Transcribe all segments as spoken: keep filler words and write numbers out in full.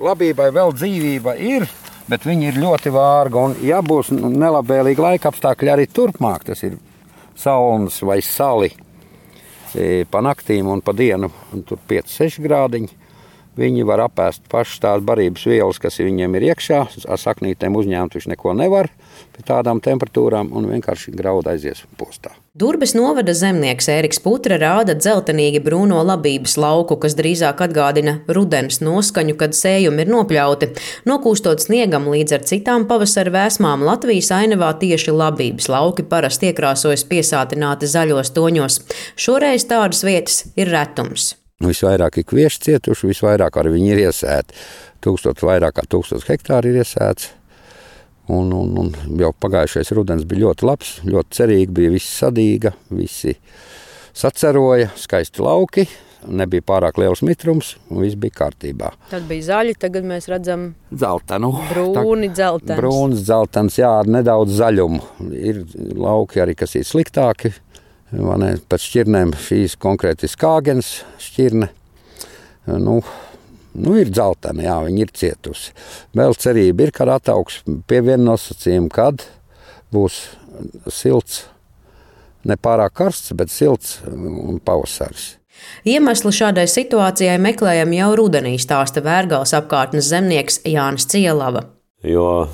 Labībai vēl dzīvība ir, bet viņi ir ļoti vārga. Un, ja būs nelabvēlīgi laika apstākļi arī turpmāk, tas ir salnas vai sali pa naktīm un pa dienu, un tur pieci seši grādiņi, viņi var apēst pašas tās barības vielas, kas viņiem ir iekšā. Ar saknītēm uzņēmt viņš neko nevar pie tādām temperatūrām un vienkārši grauda aizies postā. Durbes novada zemnieks Ēriks Putra rāda dzeltenīgi brūno labības lauku, kas drīzāk atgādina rudens noskaņu, kad sējumi ir nopļauti. Nokūstot sniegam līdz ar citām pavasara vēsmām, Latvijas ainavā tieši labības lauki parasti iekrāsojas piesātināti zaļos toņos. Šoreiz tādas vietas ir retums. Visvairāk ir kvieši cietuši, visvairāk arī viņi ir iesēti. Tūkstot, vairāk kā tūkstots hektāri ir iesēts. Un, un, un jau pagājušais rudens bija ļoti labs, ļoti cerīgi, bija viss sadīga, visi saceroja, skaisti lauki, nebija pārāk liels mitrums un viss bija kārtībā. Tad bija zaļi, tagad mēs redzam dzeltenu. Brūni dzeltens. Brūns dzeltens, jā, ar nedaudz zaļumu. Ir lauki arī, kas ir sliktāki. Ne, pēc šķirnēm šīs konkrēti skāgens šķirne, nu, nu ir dzeltena, jā, viņi ir cietusi. Vēl cerība ir, kad ataugs pie viena nosacījuma, kad būs silts, ne pārāk karsts, bet silts un pavasaris. Iemeslu šādai situācijai meklējam jau rudenī, stāsta Vērgales apkārtnes zemnieks Jānis Cielava. Jo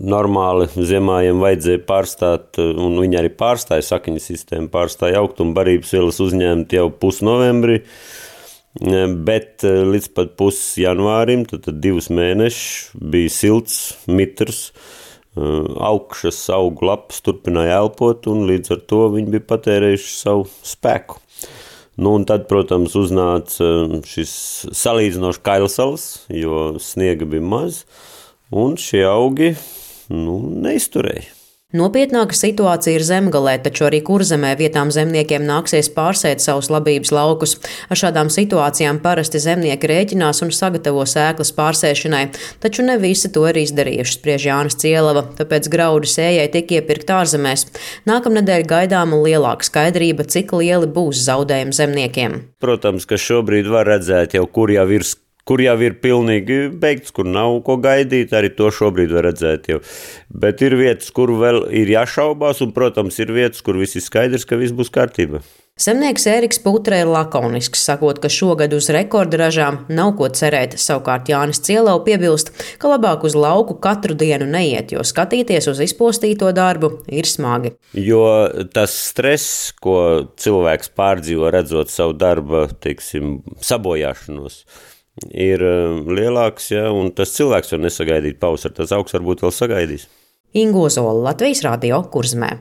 normāli ziemājiem vajadzēja pārstāt, un viņi arī pārstāja sakņu sistēmu, pārstāja augtumu barības vielas uzņemt jau pusnovembrī, bet līdz pat pus janvārim, tad, tad divus mēnešus bija silts, mitrs, augšas augu lapas turpināja elpot, un līdz ar to viņi bija patērējuši savu spēku. Nu, un tad, protams, uznāca šis salīdzinoši kailsals, jo sniega bija maz, un šie augi nu, neizturēja. Nopietnāka situācija ir Zemgalē, taču arī Kurzemē vietām zemniekiem nāksies pārsēt savus labības laukus. Ar šādām situācijām parasti zemnieki rēķinās un sagatavo sēklas pārsēšanai, taču ne visi to ir izdarījuši, spriež Jānis Cielava, tāpēc graudu sējai tiek iepirkt ārzemēs. Nākamnedēļ gaidāma lielāka skaidrība, cik lieli būs zaudējumi zemniekiem. Protams, ka šobrīd var redzēt jau, kur jau ir kur jau ir pilnīgi beigts, kur nav ko gaidīt, arī to šobrīd var redzēt jau. Bet ir vietas, kur vēl ir jāšaubās, un, protams, ir vietas, kur viss ir skaidrs, ka viss būs kārtībā. Zemnieks Ēriks Putra ir lakonisks, sakot, ka šogad uz rekorda ražām nav ko cerēt. Savukārt Jānis Cielau piebilst, ka labāk uz lauku katru dienu neiet, jo skatīties uz izpostīto darbu ir smagi. Jo tas stress, ko cilvēks pārdzīvo, redzot savu darba, teiksim, sabojāšanos, ir lielāks, ja, un tas cilvēks var nesagaidīt pavasari, tas augs varbūt vēl sagaidīs. Ingo Zola, Latvijas radio, Kurzemē.